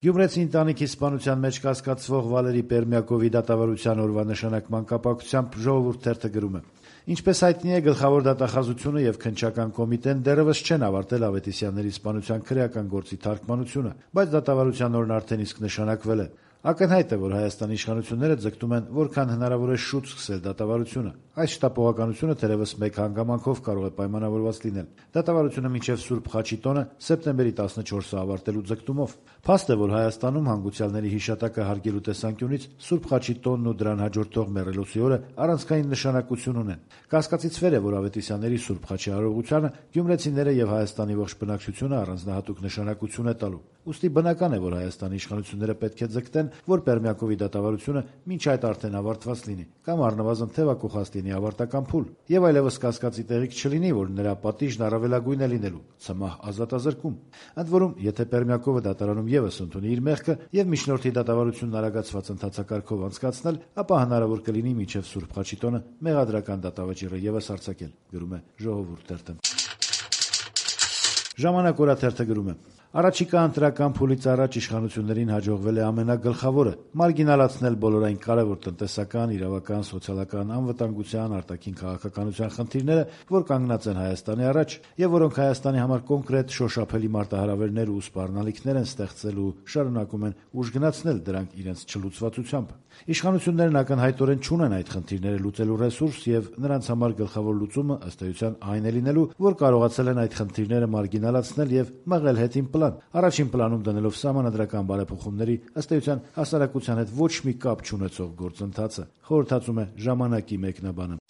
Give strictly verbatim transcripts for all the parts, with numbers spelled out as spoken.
Գյումրեցի ընտանիքի սպանության մեջ կասկածվող Վալերի Պերմյակովի դատավարության օրվա նշանակման կապակցությամբ Ժողովուրդ թերթը գրում է. Ինչպես հայտնի է, գլխավոր դատախազությունը եւ քննչական կոմիտեն դեռևս չեն ավարտել Ավետիսյանների սպանության քրեական գործի թարգմանությունը, բայց դատավարության օրն արդեն իսկ նշանակվել է։ Ակնհայտ է, որ Հայաստանի իշխանությունները ձգտում են որքան հնարավոր է շուտ սկսել դատավարությունը։ Այս շտապողականությունը թերևս մեկ հանգամանքով կարող է պայմանավորված լինել։ Դատավարությունը մինչև Սուրբ Խաչի տոնը սեպտեմբերի տասնչորսը ավարտելու ձգտումով։ Փաստ է, որ Հայաստանում հանգուցյալների հիշատակը հարգելու տեսանկյունից Սուրբ Խաչի տոնն ու դրան հաջորդող մեռելոցի օրը առանցքային նշանակություն ունեն։ Կասկածից վեր է, որ Ավետիսյանների Սուրբ Խաչի արարողությանը գյումրեցիները եւ Հայաստանի ողջ բնակչությունը առանձնահատուկ նշանակություն է տալու։ Ուստի բնական է, որ Հայաստանի իշխանությունները պետք է ձգտեն, որ Պերմյակովի դատավարությունը մինչ այդ արդեն ավարտված լինի, կամ առնվազն թեւակոխած լինի ավարտական փուլ, եւ այլևս կասկածի տեղիք չլինի, որ նրա պատիժն առավելագույն է լինելու՝ ցմահ ազատազրկում։ Ընդ որում, եթե Պերմյակովը դատարանում եւս ընդունի իր մեղքը եւ միջնորդի դատավարությունն արագացված ընթացակարգով անցկացնել, ապա հնարավոր կլինի մինչեւ Սուրբ Խաչի տոնը մեղադրական դատավճիռը եւս արձակել, գրում է Ժողովուրդ թերթը։ Ժամանակ օրաթերթը գրում է. Առաջիկա ընտրական փուլից առաջ իշխանություններին հաջողվել է ամենագլխավորը՝ մարգինալացնել բոլոր այն կարևոր տնտեսական, իրավական, սոցիալական, անվտանգության, արտաքին քաղաքականության խնդիրները, որ կանգնած են Հայաստանի առաջ եւ որոնք Հայաստանի համար կոնկրետ շոշափելի մարտահրավերներ ու սպառնալիքներ են ստեղծել ու շարունակում են ուժգնացնել դրանք իրենց չլուծվածությամբ։ Իշխանություններն ակնհայտորեն չունեն այդ խնդիրները լուծելու ռեսուրս եւ նրանց համար գլխավոր լուծումը ըստ էության այն է լինելու, որ կարողացել են այդ խնդիրները մարգինալացնել եւ մղել հետին պլան, առաջին պլանում դնելով սահմանադրական բարեփոխումների ըստ էության հասարակության հետ ոչ մի կապ չունեցող գործընթացը, խորհրդածում է ժամանակի մեկնաբանը։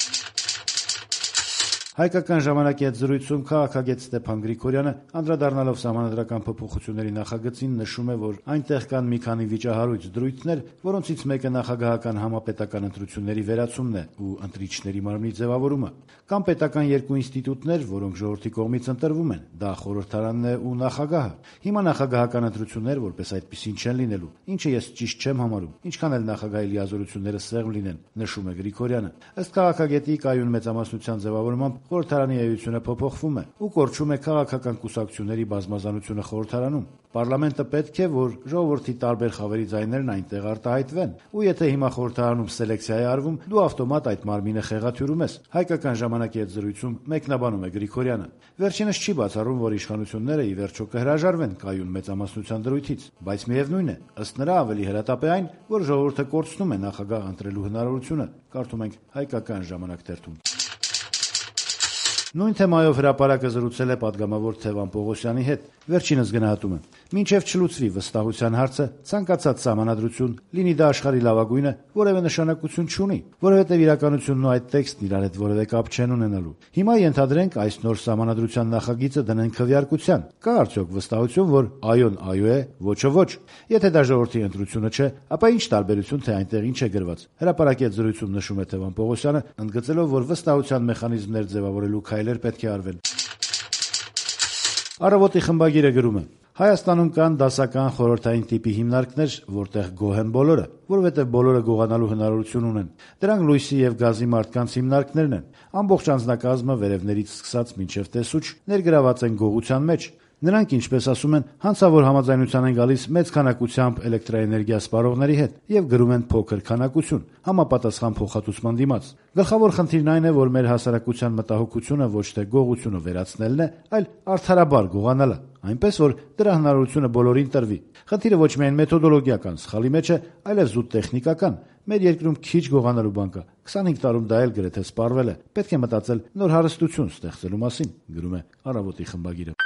Հայկական ժամանակի հետ զրույցում քաղաքագետ Ստեփան Գրիգորյանը, անդրադառնալով սահմանադրական փոփոխությունների նախագծին, նշում է, որ այնտեղ կան մի քանի վիճահարույց դրույթներ, որոնցից մեկը նախագահական համապետական ընտրությունների վերացումն է ու ընտրիչների մարմնի ձևավորումը։ Կան պետական երկու ինստիտուտներ, որոնք ժողովրդի կողմից ընտրվում են, դա խորհրդարանն է ու նախագահը։ Հիմա նախագահական ընտրություններ որպես այդպիսին չեն լինելու, ինչը ես ճիշտ չեմ համարում, ինչքան էլ նախագահի լիազորությունները սեղմ լինեն, նշում է Գրիգորյանը։ Ըստ քաղաքագետի, կայուն մեծամասնության ձևավորմամբ խորհրդարանի էությունը փոփոխվում է ու կորչում է քաղաքական կուսակցությունների բազմազանությունը խորհրդարանում։ Պարլամենտը պետք է, որ ժողովրդի տարբեր խավերի ձայներն այնտեղ արտահայտվեն, ու եթե հիմա խորհրդարանում սելեկցիա է արվում, դու ավտոմատ այդ մարմինը խեղաթյուրում ես։ Հայկական ժամանակի հետ զրույցում մեկնաբանում է Գրիգորյանը։ Վերջինս չի բացառում, որ իշխանությունները ի վերջո կհրաժարվեն կայուն մեծամասնության դրույթից, բայց միևնույն է, ըստ նրա ավելի հրատապ է այն, որ ժողովուրդը կորցնում է նախագահ ընտրելու հնարավորությունը, կարդում ենք Հայկական ժամանակ թերթում։ Նույն թեմայով հրապարակը զրուցել է պատգամավոր Թևան Պողոսյանի հետ։ Վերջինս գնահատում է. մինչև չլուծվի վստահության հարցը, ցանկացած սահմանադրություն, լինի դա աշխարհի լավագույնը, որևէ նշանակություն չունի, որովհետև իրականությունն ու այդ տեքստն իրար հետ որևէ կապ չեն ունենալու։ Հիմա ենթադրենք այս նոր սահմանադրության նախագիծը դնեն քվեարկության։ Կա արդյոք վստահություն, որ այոն այո է, ոչը ոչ։ Եթե դա ժողովրդի ընտրությունը չէ, ապա ինչ տարբերություն, թե այնտեղ ինչ է գրված։ Հրապարակի հետ զրույցում նշում է Թևան Պողոսյանը, ընդգծելով, որ վստահության մեխանիզմներ ձևավորելու քայլեր պետք է արվեն։ Առավոտի խմբագիրը գրում է. Հայաստանում կան դասական խորհրդային տիպի հիմնարկներ, որտեղ գոհ են բոլորը, որովհետև բոլորը գողանալու հնարավորություն ունեն։ Դրանք լույսի եւ գազի մարդկանց հիմնարկներն են։ Ամբողջ անձնակազմը վերևներից սկսած մինչև տեսուչ ներգրաված են գողության մեջ։ Նրանք, ինչպես ասում են, հանցավոր համաձայնության են գալիս մեծ քանակությամբ էլեկտրաէներգիա սպառողների հետ եւ գրում են փոքր քանակություն, համապատասխան փոխհատուցման դիմաց։ Գլխավոր խնդիրն այն է, որ մեր հասարակության մտահոգությունը ոչ թե գողությունը վերացնելն է, այլ արդարաբար գողանալը, այնպես որ դրա հնարավորությունը բոլորին տրվի։ Խնդիրը ոչ միայն մեթոդոլոգիական սխալի մեջ է, այլև զուտ տեխնիկական։ Մեր երկրում քիչ գողանալու բան կա։ քսանհինգ տարում դա էլ գրեթե սպառվել է։ Պետք է մտածել նոր հարստություն ստեղծելու մասին, գրում է Առավոտի խմբագիրը։